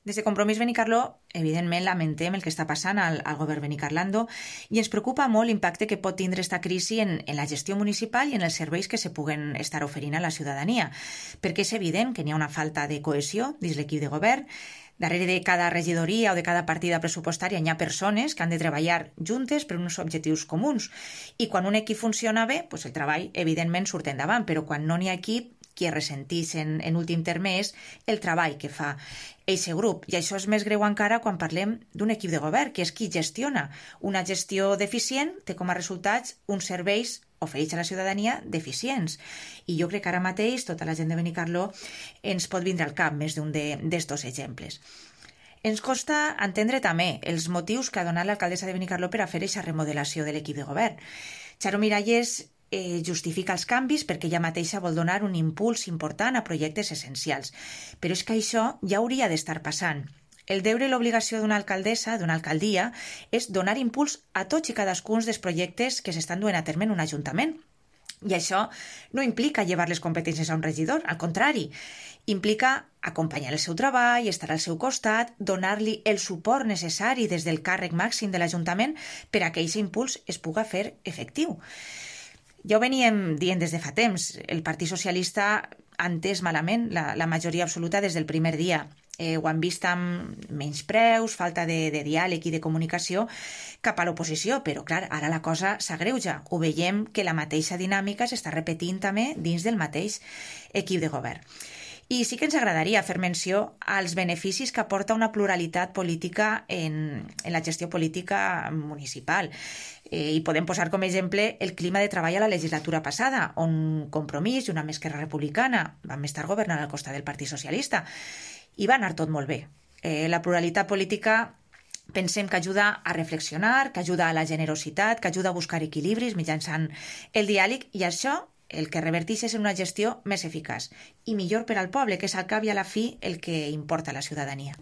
Des de Compromís Benicarló, evidentment, lamentem el que està passant al govern benicarlando i ens preocupa molt l'impacte que pot tindre esta crisi en la gestió municipal i en els serveis que se puguen estar oferint a la ciutadania, perquè és evident que n'hi ha una falta de cohesió dins l'equip de govern. Darrere de cada regidoria o de cada partida pressupostària hi ha persones que han de treballar juntes per uns objectius comuns. I quan un equip funciona bé, el treball evidentment surt endavant, però quan no n'hi ha equip, qui ressentís en últim terme és el treball que fa eixe grup. I això és més greu encara quan parlem d'un equip de govern, que és qui gestiona. Una gestió deficient té com a resultats uns serveis oferits a la ciutadania deficients. I jo crec que ara mateix tota la gent de Benicarló ens pot vindre al cap més d'un d'estos exemples. Ens costa entendre també els motius que ha donat l'alcaldessa de Benicarló per a fer aquesta remodelació de l'equip de govern. Charo Miralles justifica els canvis perquè ella mateixa vol donar un impuls important a projectes essencials. Però és que això ja hauria d'estar passant. El deure i l'obligació d'una alcaldessa, d'una alcaldia, és donar impuls a tots i cadascun dels projectes que s'estan duent a terme en un ajuntament. I això no implica llevar les competències a un regidor, al contrari. Implica acompanyar el seu treball, estar al seu costat, donar-li el suport necessari des del càrrec màxim de l'Ajuntament per a que aquest impuls es puga fer efectiu. Ja ho veníem dient des de fa temps. El Partit Socialista ha entès malament la majoria absoluta des del primer dia. Ho han vist amb menyspreus, falta de diàleg i de comunicació cap a l'oposició, però clar, ara la cosa s'agreuja. Ho veiem que la mateixa dinàmica s'està repetint també dins del mateix equip de govern. I sí que ens agradaria fer menció als beneficis que aporta una pluralitat política en la gestió política municipal. I podem posar com a exemple el clima de treball a la legislatura passada, on Compromís i una Esquerra Republicana vam estar governant al costat del Partit Socialista. I va anar tot molt bé. La pluralitat política pensem que ajuda a reflexionar, que ajuda a la generositat, que ajuda a buscar equilibris mitjançant el diàleg, i això el que reverteix és en una gestió més eficaç i millor per al poble, que és al cap i a la fi el que importa a la ciutadania.